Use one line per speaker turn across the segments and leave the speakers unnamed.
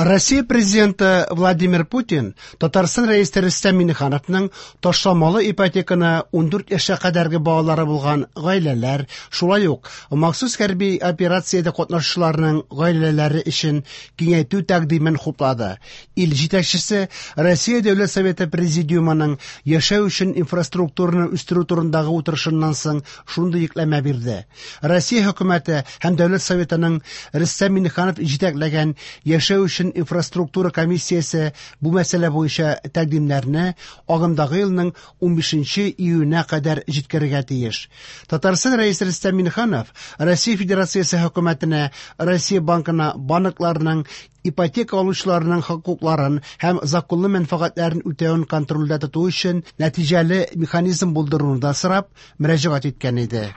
Россия Президенты Владимир Путин Татарстан Рәисе Рөстәм Миңнехановның ташламалы ипотеканы 14 яшькә кадәрге балалары булган гаиләләр, шулай ук махсус хәрби операциядә катнашучыларның гаиләләре өчен киңәйтү тәкъдимен хуплады. Ил җитәкчесе Россия Дәүләт Советы Президиумының яшәү өчен инфраструктураны үстерү турындагы утырышыннан соң шундый йөкләмә бирде. Россия хөкүмәте һәм Дәүләт Советының Рөстәм Миңнеханов җитәкләгән яшәү өчен инфраструктура комиссиясе бу мәсьәлә буенча тәкъдимнәрне агымдагы елның 15 июненә кадәр җиткерергә тиеш. Татарстан Рәисе Рөстәм Миңнеханов Россия Федерациясе хөкүмәтенә Россия Банкына банкларның ипотека алучыларның хокукларын һәм законлы мәнфәгатьләрен үтәвен контрольдә тоту өчен нәтиҗәле механизм булдыруны да сорап мөрәҗәгать иткән иде.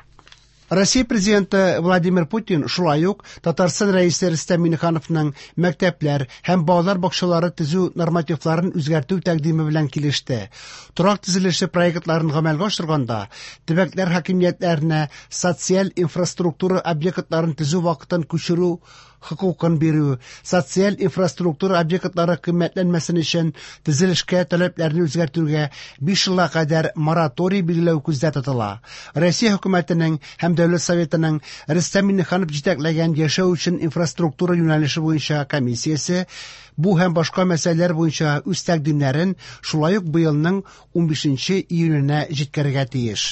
Россия Президенты Владимир Путин шулай ук Татарстан Рәисе Рөстәм Миңнехановның мәктәпләр һәм балалар бакчалары төзү нормативларын үзгәртү тәкъдиме белән килеште. Торак төзелеше проектларын гамәлгә ашырганда төбәкләр хакимиятләренә социаль инфраструктура объектларын төзү вакытын күчерү хокукын бирү, социаль инфраструктура объектлары кыйммәтләнмәсен өчен төзелешкә таләпләрне үзгәртүгә 5 елга кадәр мораторий билгеләү күздә тотыла. Россия хөкүмәтенең һәм Дәүләт Советының Рөстәм Миңнеханов җитәкләгән яшәү өчен инфраструктура юнәлеше буенча комиссиясе бу һәм башка мәсьәләләр буенча үз тәкъдимнәрен шулай ук быелның 15 июненә җиткерергә тиеш.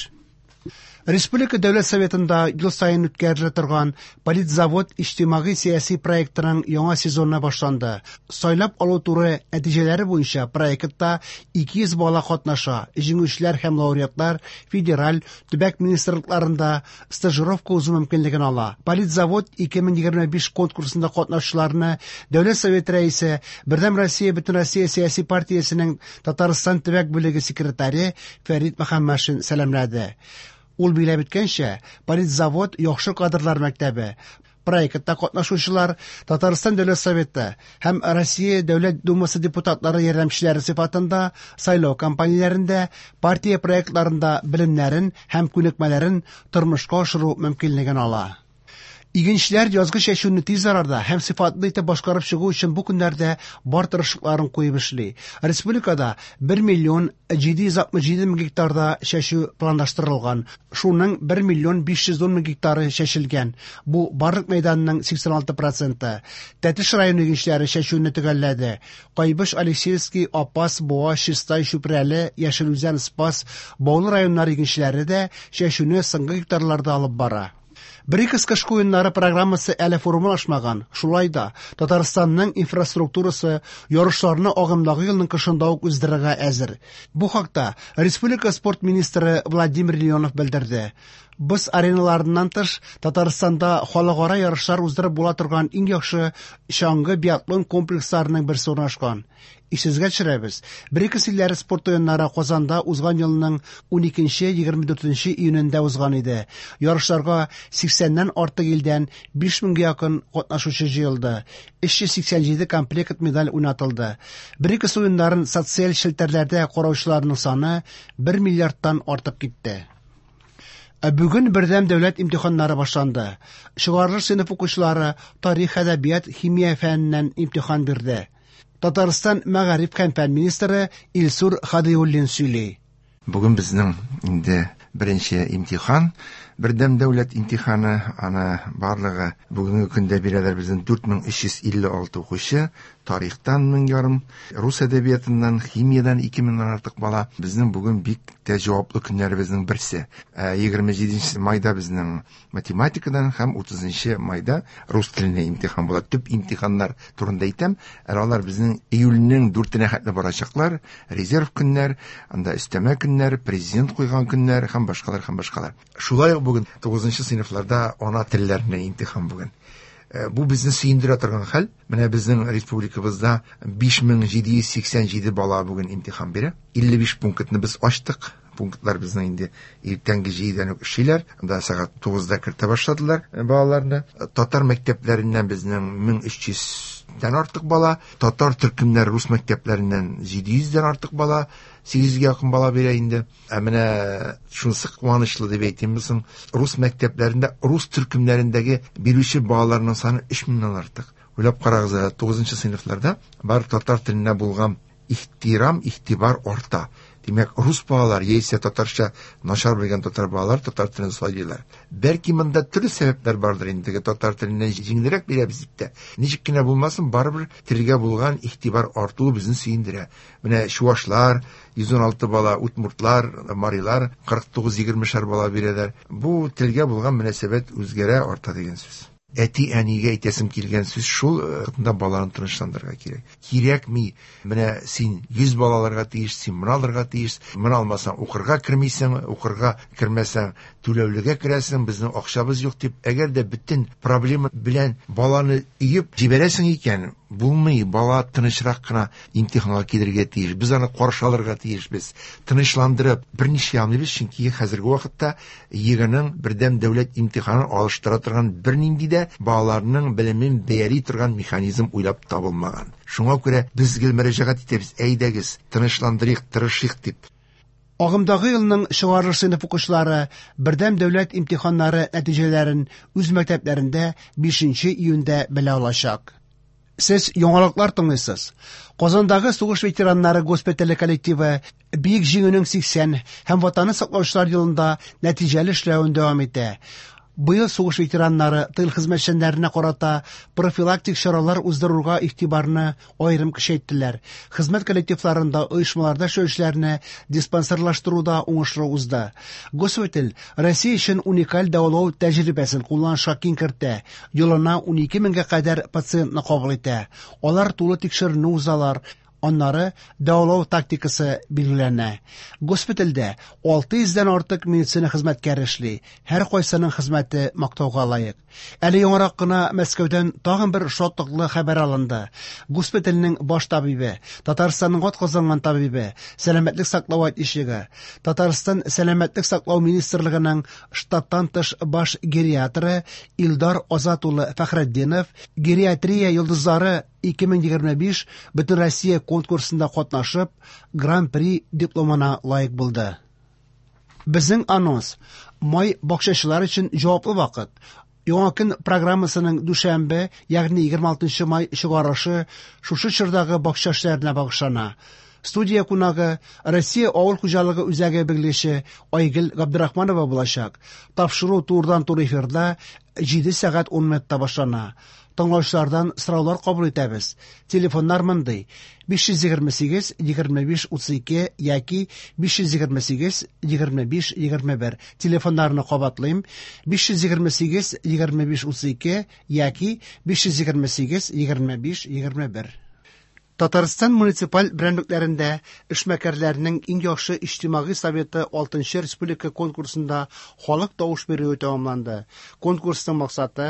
Республика Дәүләт Советында ел саен үткәрелә торган Политзавод иҗтимагый сәяси проектының яңа сезоны башланды. Сайлап алу туры нәтиҗәләре буенча проектта 200 бала катнаша. Җиңүчеләр һәм лауреатлар федераль, төбәк министрлыкларында стажировка узу мөмкинлеген ала. Политзавод 2025 конкурсында катнашучыларны Дәүләт Советы рәисе, Бердәм Россия Бөтенроссия сәяси партиясенең Татарстан төбәк бүлеге секретаре Фәрит Мөхәммәтшин сәламләде. Ул билгеләп үткәнчә, Политзавод яхшы кадрлар мәктәбе. Проектта катнашучылар Татарстан Дәүләт Советы һәм Россия Дәүләт Думасы депутатлары ярдәмчеләре сыйфатында сайлау кампанияләрендә, партия проектларында белемнәрен һәм күнекмәләрен тормышка ашыру мөмкинлеген ала. Игенчеләр язгы чәчүне тиз арада һәм сыйфатлы итеп башкарып чыгу өчен бу көннәрдә бар тырышлыкларын куеп эшли. Республикада 1 миллион 767 мең гектарда чәчү планлаштырылган. Шуның 1 миллион 510 мең гектары чәчелгән. Бу барлык мәйданның 86 проценты. Тәтеш районы игенчеләре чәчүне төгәлләде. Кайбыч, Алексеевский, Апас, Буа, Чистай, Чүпрәле, Яшел Үзән, Спас, Баулы районнары игенчеләре дә чәчүне соңгы гектарларда алып бара. БРИКС кышкы уеннары программасы әле формалашмаган. Шулай да Татарстанның инфраструктурасы ярышларны агымдагы елның кышында ук уздырырга әзер. Бу хакта республика спорт министры Владимир Леонов белдерде. Боз ареналарыннан тыш, Татарстанда халыкара ярышлар уздырып була торган иң яхшы чаңгы биатлон комплексларының берсе урнашкан. Исегезгә төшерәбез, БРИКС илләре спорт уеннары Казанда узган елның 12-24 июнендә узган иде. Ярышларга 80-нән артык илдән 5000гә якын катнашучы җыелды. 387 комплект медаль уйнатылды. БРИКС уеннарын социаль челтәрләрдә караучыларның саны 1 миллиардтан артып китте. Ә бүген бердәм дәүләт имтиханнары башланды. Чыгарылыш сыйныф укучылары тарих, әдәбият, химия фәненнән имтихан бирде. Татарстан мәгариф һәм фән министры Илсур Хадиуллин сөйли.
Бүген безнең инде беренче имтихан, бердәм дәүләт имтиханы, аны барлыгы бүгенге көндә бирәләр безнең 4356 укучы, тарихтан 1500, рус әдәбиятыннан, химиядан 2000-нән артык бала. Безнең бүген бик тә җаваплы көннәребезнең берсе. 27 майда безнең математикадан һәм 30 майда рус теленә имтихан була. Төп имтиханнар турында әйтәм. Әле алар безнең июльнең 4-нә хәтле барачаклар. Резерв көннәр, анда өстәмә көннәр, президент куйган көннәр һәм башкалар һәм башкалар. Шулай ук бүген 9 сыйныфларда ана телләренә имтихан бүген. Бу безне сөендерә торган хәл. Менә безнең республикабызда 5787 бала бүген имтихан бирә. 55 пунктны без ачтык. Пунктлар безнең инде иртәнге 7-дән үк эшлиләр. Анда сәгать 9-да кертә башладылар балаларны. Татар мәктәпләреннән безнең 1300-дән артык бала, татар төркемнәре рус мәктәпләреннән 700-дән артык бала, 800-гә якын бала бирә инде. Ә менә шунысы куанычлы дип әйтимме соң, рус мәктәпләрендә, рус төркемнәрендәге бирүче балаларның саны 3000-нән артык. Уйлап карагыз, 9 сыйныфларда бар татар теленә булган ихтирам, игътибар арта. Димәк, рус балалар яисә татарча начар белгән татар балалар татар телен сайлыйлар. Бәлки монда төрле сәбәпләр бардыр инде, татар теленнән җиңелрәк бирәбез дип тә. Ничек кенә булмасын, барыбер телгә булган игътибар артуы безне сөендерә. Менә чувашлар 116 бала, удмуртлар, марилар 49-20 бала бирәләр. Бу телгә булган мөнәсәбәт үзгәрә, арта дигән сүз. Әти-әнигә әйтәсем килгән сүз шул, монда баланы тынычландырырга кирәк. Кирәкми, менә син 100 бала алырга тиеш, син моны алырга тиеш, моны алмасаң укырга кермисең, укырга кермәсәң түләүлегә керәсең, безнең акчабыз юк дип, әгәр дә бөтен проблема белән баланы өеп җибәрәсең икән, булмый, бала тынычрак кына имтиханга килергә тиеш. Без аны каршы алырга тиешбез. Тынычландырып, берничә алмыйбыз, чөнки хәзерге вакытта ЕГЭның бердәм дәүләт имтиханын алыштыра торган бернинди дә балаларның белемен бәяли торган механизм уйлап табылмаган. Шуңа күрә без гел мөрәҗәгать итәбез, әйдәгез, тынычландырыйк, тырышыйк дип.
Агымдагы елның чыгарылыш сыйныф укучылары бердәм дәүләт имтиханнары нәтиҗәләрен үз мәктәпләрендә 5 июньдә белә алачак. Сез яңалыклар тыңлыйсыз. Казандагы сугыш ветераннары госпитале коллективы Бөек Җиңүнең 80 һәм Ватанны саклаучылар елында нәтиҗәле эшләвен дәвам итә. Быел сугыш ветераннары тыл хезмәтчәннәренә карата профилактик чаралар уздыруга игътибарны аерым көчәйттеләр. Хезмәт коллективларында оешмаларда эшләүчеләрне диспансерлаштыруда уңышлы узды. Госпиталь Россия өчен уникаль дәвалау тәҗрибәсен кулланышка киң кертә. Елына 12 меңгә кадәр пациентны кабул итә. Алар тулы тикшеренү узалар. Аннары дәвалау тактикасы билгеләнә. Госпитальдә 600дән артык медицина хезмәткәре эшли. Һәр кайсының хезмәте мактауга лаек. Әле яңарак кына Мәскәүдән тагын бер шатлыклы хәбәр алынды. Госпитальнең баш табибе, Татарстанның атказанган табибе, сәламәтлек саклау отличнигы, Татарстан сәламәтлек саклау министрлыгының штаттан тыш баш гериатры Илдар Азат улы Фәхретдинов гериатрия йолдызлары 2025 Бөтенроссия конкурсында катнашып, Гран-при дипломына лаек булды. Безнең анонс: май бакчачылар өчен җаваплы вакыт. Яңа көн программасының дүшәмбе, ягъни 26 май чыгарышы шушы чордагы бакча эшләренә багышлана. Студия кунагы Россия авыл хуҗалыгы үзәге белгече Айгөл Габдрахманова булачак. Тапшыру турыдан-туры эфирда 7 сәгать 10 минутта башлана. Тыңлаучылардан сораулар кабул итәбез. Телефоннар мондый: 528 25 32 яки 528 25 21. Телефоннарны кабатлыйм: 528 25 32 яки 528 25 21. Татарстан муниципаль берәмлекләрендә эшмәкәрләрнең иң яхшы иҗтимагый советы 6нчы республика конкурсында халык тавыш бирүе тәмамланды. Конкурсның максаты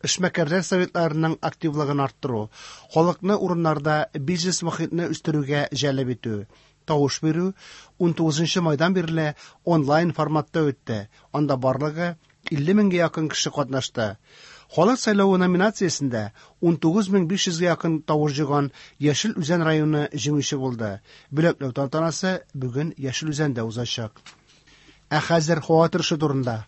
эшмәкәрләр советларының активлыгын арттыру, халыкны урыннарда бизнес мохитне үстерүгә җәлеп итү. Тавыш бирү 19 майдан бирле онлайн форматта үтте. Анда барлыгы 50 меңгә якын кеше катнашты. Халык сайлавы номинациясендә 19500 якын тавыш җыйган Яшел Үзән районы җиңүче булды. Бүләкләү тантанасы бүген Яшел Үзәндә узачак. Ә хәзер һава торышы турында.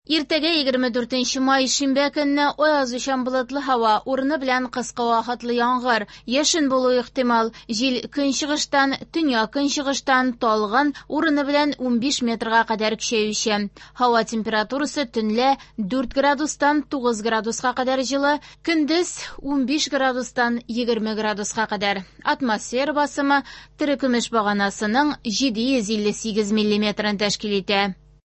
Иртәгә 24 май шимбә көнне аязучан болытлы һава, урыны белән кыска вакытлы яңгыр, яшен булу ихтимал. Җил көнчыгыштан, төньяк көнчыгыштан талгын, урыны белән 15 метрга кадәр көчәюче. Һава температурасы төнлә 4 градустан 9 градуска кадәр җылы, көндез 15 градустан 20 градуска кадәр. Атмосфера басымы терекөмеш баганасының 758 миллиметрын тәшкил итә.